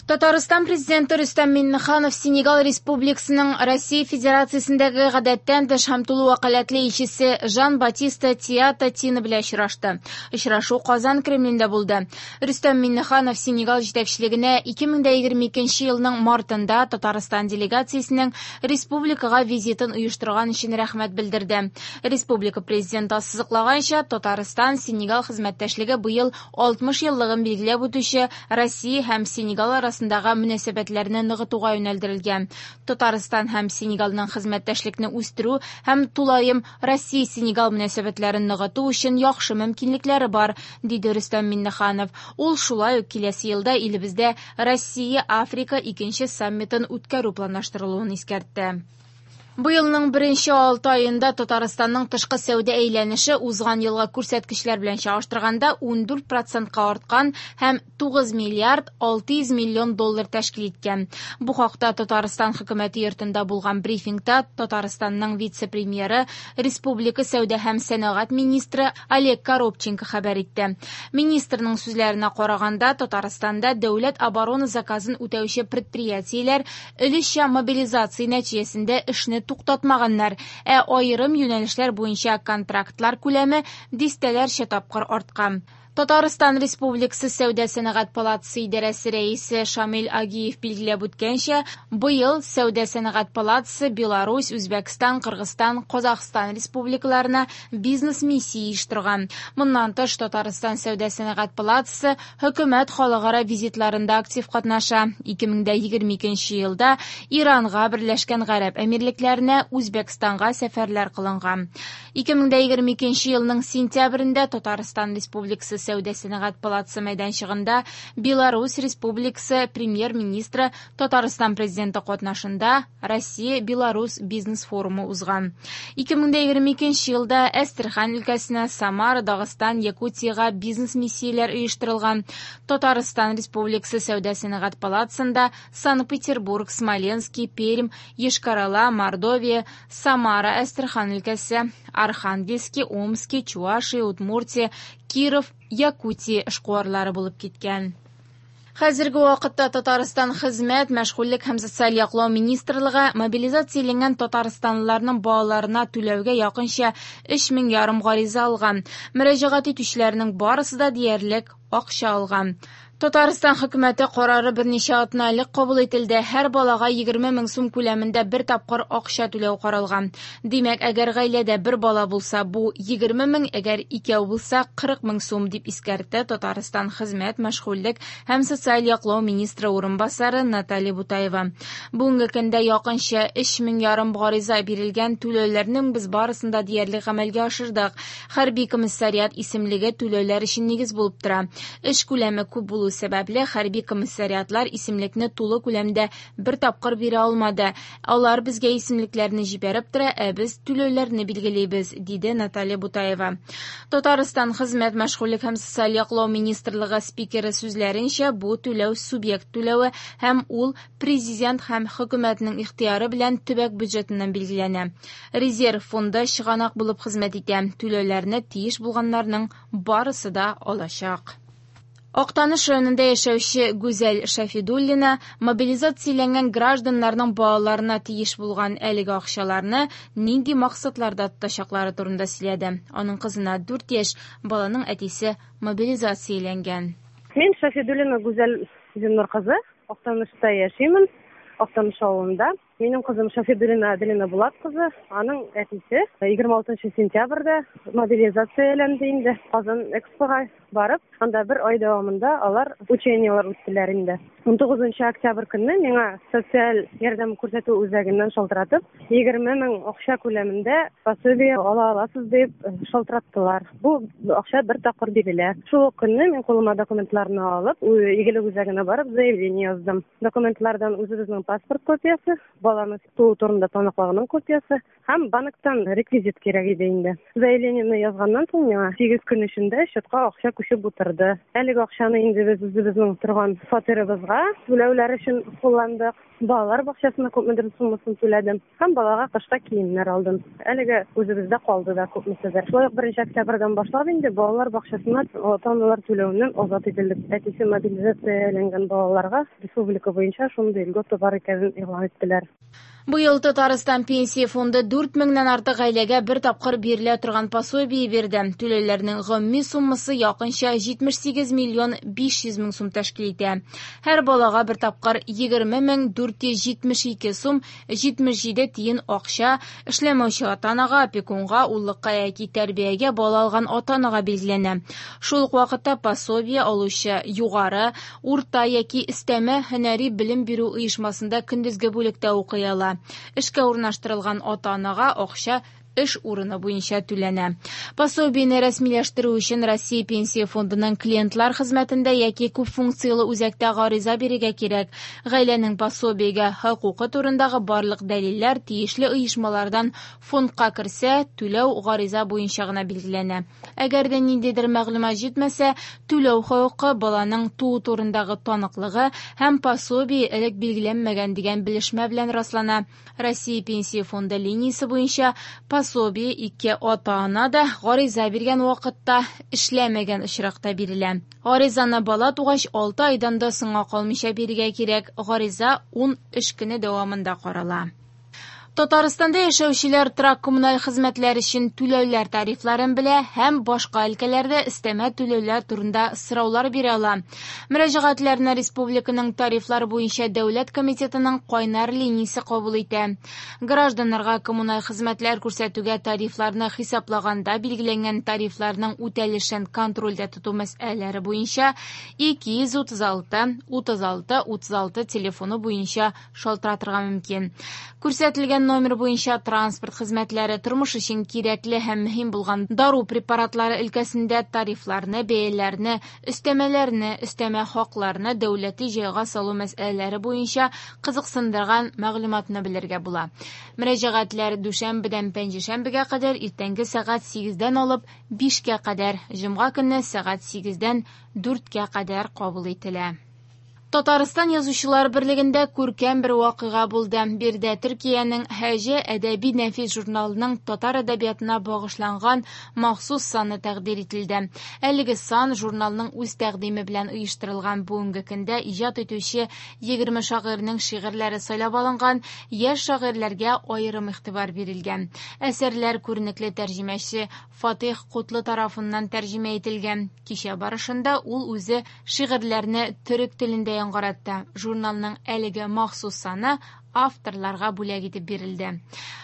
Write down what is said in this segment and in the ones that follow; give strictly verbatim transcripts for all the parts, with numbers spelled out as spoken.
Татарстан президенты Рөстәм Миңнеханов Сенегал Республикасының Россия Федерациясендәге гадәттән тыш һәм тулы вәкаләтле илчесе Жан-Батиста Тиата Тина белән очрашты. Очрашу Казан Кремлендә булды. Рөстәм Миңнеханов Сенегал җитәкчелегенә ике мең дә егерме икенче елның мартында Татарстан делегациясенең республикага визитын оештырган өчен рәхмәт белдерде. Республика президенты ассызыклаганча, Татарстан Сенегал хезмәттәшлеге быел алтмыш еллыгын билгеләп үтүче Россия һәм Сенегал арасында мөнәсәбәтләрне ныгытуга юнәлдерелгән. Татарстан һәм Сенегалның хезмәттәшлекне үстерү һәм тулаем Россия-Сенегал мөнәсәбәтләрен ныгыту өчен яхшы мөмкинлекләре бар, диде Рөстәм Миңнеханов. Ул шулай ук киләсе елда илебездә Россия-Африка икенче саммитын үткәрү планлаштырылуын искәртте. Быелның беренче алты айында Татарстанның тышкы сәүдә әйләнеше узган елгы күрсәткечләр белән чагыштырганда ундүрт процентка арткан һәм тугыз миллиард алты йөз миллион доллар тәшкил иткән. Бу хакта Татарстан хөкүмәте йортында булган брифингта Татарстанның вице-премьеры, Республика сәүдә һәм сәнәгать министры Олег Коробченко хәбәр итте. Министрның сүзләренә караганда, Татарстанда дәүләт оборона заказын үтәүче предприятиеләр өлешчә мобилизация нәтиҗәсендә эшне туктатмаганнар, ә аерым юнәлешләр буенча контрактлар күләме дистәләрчә тапкыр арткан. Татарстан Республикасы Сәүдә сәнәгать палатасы идарәсе рәисе Шамил Агиев билгеләп үткәнчә, быел Сәүдә сәнәгать палатасы Беларусь, Үзбәкстан, Кыргызстан, Казахстан республикаларына бизнес-миссия оештырган. Моннан тыш, Татарстан Сәүдә сәнәгать палатасы хөкүмәт халыкара визитларында актив катнаша. ике мең дә егерме икенче елда Иранга, Берләшкән Гарәп Әмирлекләренә, Үзбәкстанга сәфәрләр кылынган. ике мең дә егерме икенче елның сентябрендә Татарстан Республикасы Сәүдә сәнәгать палатасы мәйданчыгында Беларусь Республикасы премьер-министры Татарстан президенты катнашында Россия-Беларусь бизнес-форумы узган. ике мең дә егерме икенче елда Әстерхан өлкәсенә, Самара, Дагыстан, Якутиягә бизнес-миссияләр оештырылган. Татарстан Республикасы Сәүдә сәнәгать палатасында Санкт-Петербург, Смоленский, Пермь, Йошкар-Ола, Мордовия, Самара, Әстерхан өлкәсе, Архангельский, Омский, Чувашия, Удмуртия, Киров, Якутия эшкуарлары булып киткән. Хәзерге вакытта Татарстан Хезмәт, мәшгульлек һәм социаль яклау министрлыгы мобилизацияләнгән татарстанлыларның балаларына түләүгә якынча өч мең ярым гариза алган. Мөрәҗәгать итүчеләрнең барысы да диярлек акча алган. Татарстан хөкүмәте карары берничә атна элек кабул ителде. Һәр балага егерме мең сум күләмендә бер тапкыр акча түләү каралган. Димәк, әгәр гаиләдә бер бала булса, бу егерме мең, әгәр икәү булса, кырык мең сум, дип искәртте Татарстан Хезмәт, мәшгульлек һәм социаль яклау министры урынбасары Наталья Бутаева. Бүгенге көндә якынча өч мең ярым гариза бирелгән түләүләрнең без барысын да диярлек гамәлгә ашырдык. Хәрби комиссариат исемлеге түләүләр өчен нигез булып тора. Эш күләме күп булу сәбәпле хәрби комиссариатлар исемлекне тулы күләмдә бер тапкыр бирә алмады. Алар безгә исемлекләрне җибәреп тора, ә без түләүләрне билгелибез, диде Наталья Бутаева. Татарстан Хезмәт, мәшгульлек һәм социаль яклау министрлыгы спикеры сүзләренчә, бу түләү субъект түләве һәм ул президент һәм хөкүмәтнең ихтыяры белән төбәк бюджетыннан билгеләнә. Резерв фонды чыганак булып хезмәт итә. Түләүләрне тиеш булганнарның барысы да алачак. Актаныш районында яшәүче Гүзәл Шафидуллина мобилизацияләнгән гражданнарның балаларына тиеш булган әлеге акчаларны нинди максатларда тотачаклары турында сөйләде. Аның кызына дүрт яшь, баланың әтисе мобилизацияләнгән. Мин Шафидуллина Гүзәл Зиннур кызы, Актанышта яшимен, Актаныш авылында. Минем кызым Шафидуллина Аделина Булат кызы, аның әтисе егерме алтынчы сентябрьдә мобилизацияләнде инде. Казан Экспога барып, анда бер ай дәвамында алар учениелар үттеләр инде. Ун тугызынчы октябрь көнне миңа социаль ярдәм күрсәтү үзәгеннән шалтыратып, егерме мең акча күләмендә пособие ала аласыз дип шалтыраттылар. Бу акча бер тапкыр бирелә. Шул ук көнне мин кулыма документларны алып, Игелек үзәгенә барып заявление яздым. Документлардан үзебезнең паспорт копиясе, баланы туу турында таныклыгының копиясе һәм банктан реквизит кирәк иде инде. Заявлениене язганнан соң миңа сигез көн эчендә счетка акча күчеп утырды. Әлеге акчаны инде без үзебезнең торган фатирыбызга түләүләр өчен кулландык. Балалар бакчасына күпмедер суммасын түләдем һәм балага кышка киемнәр алдым. Әлеге үзебездә калды да күпмеседер. Шулай ук беренче октябрьдән башлап инде балалар бакчасына ата-аналар түләүеннән азат ителдек. Әтисе мобилизацияләнгән балаларга республика буенча шундый льгота бар икәнен игълан иттеләр. Быел Татарстан пенсия фонды дүрт меңнән артык гаиләгә бер тапкыр бирелә торган пособие бирде. Түләүләрнең гомуми суммасы якынча җитмеш сигез миллион биш йөз мең сум тәшкил итә. Һәр балага бер тапкыр егерме мең дүрт йөз җитмеш ике сум җитмеш җиде тиен акча эшләмәүче ата-анага, опекунга, уллыкка яки тәрбиягә бала алган ата-анага билгеләнә. Шул ук вакытта пособие алучы югары, урта яки өстәмә һөнәри белем бирү оешмасында көндезге бүлектә укый ала. Эшкә урнаштырылган ата-анага акча эш урыны буенча түләнә. Пособиене рәсмиләштерү өчен Россия Пенсия фондының клиентлар хезмәтендә яки күп функцияле үзәктә гариза бирергә кирәк. Гаиләнең пособиегә хокукы турындагы барлык дәлилләр тиешле оешмалардан фондка керсә, түләү гариза буенча гына билгеләнә. Әгәр дә ниндидер мәгълүмат җитмәсә, түләү хокукы баланың туу турындагы таныклыгы һәм пособие элек билгеләнмәгән дигән белешмә белән раслана. Россия Пенсия фонды линиясе буенча пособие ике ата-ана да гариза биргән вакытта эшләмәгән очракта бирелә. Гаризаны бала тугач алты айдан да соңга калмыйча бирергә кирәк. Гариза ун эш көне дәвамында карала. Татарстанда яшәүчеләр торак коммуналь хезмәтләр өчен түләүләр тарифларын белә һәм башка өлкәләрдә өстәмә түләүләр турында сораулар бирә ала. Мөрәҗәгатьләрне республиканың тарифлар буенча дәүләт комитетының кайнар линиясе кабул итә. Гражданнарга коммуналь хезмәтләр күрсәтүгә тарифларны хисаплаганда билгеләнгән тарифларның үтәлешен контрольдә тоту мәсьәләләре буенча ике йөз утыз алты утыз алты утыз алты телефоны буенча шалтыратырга мөмкин. Күрсәтелгән номер буенча транспорт хезмәтләре, тормыш өчен кирәкле һәм мөһим булган дару препаратлары өлкәсендә тарифларны, бәяләрне, өстәмәләрне, өстәмә хакларны дәүләти җайга салу мәсьәләләре буенча кызыксындырган мәгълүматны белергә була. Мөрәҗәгатьләр дүшәмбедән пәнҗешәмбегә кадәр иртәнге сәгать сигездән алып бишкә кадәр, җомга көнне сәгать сигездән дүрткә кадәр кабул ителә. Татарстан Язучылар берлегендә күркәм бер вакыйга булды. Биредә Төркиянең Һәҗә әдәби нәфис журналының татар әдәбиятына багышланган махсус саны тәкъдир ителде. Әлеге сан журналның үз тәкъдиме белән оештырылган. Бүгенге көндә иҗат итүче егерме шагыйрьнең шигырьләре сайлап алынган, яшь шагыйрьләргә аерым игътибар бирелгән. Әсәрләр күренекле тәрҗемәче Фатих Кутлы тарафыннан тәрҗемә ителгән. Кичә барышында ул үзе шигырьләрне төрек телендә яңгыратты. Журналның әлеге махсус саны авторларга бүләк итеп бирелде.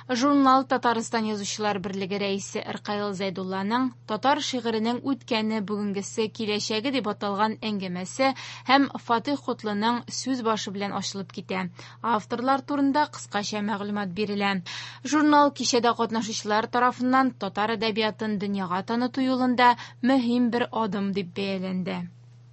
Журнал Татарстан Язучылар берлеге рәисе Ркаил Зәйдулланың татар шигыренең үткәне, бүгенгесе, киләчәге дип аталган әңгәмәсе һәм Фатих Кутлының сүз башы белән ачылып китә. Авторлар турында кыскача мәгълүмат бирелә. Журнал кичәдә катнашучылар тарафыннан татар әдәбиятын дөньяга таныту юлында мөһим бер адым дип бәяләнде.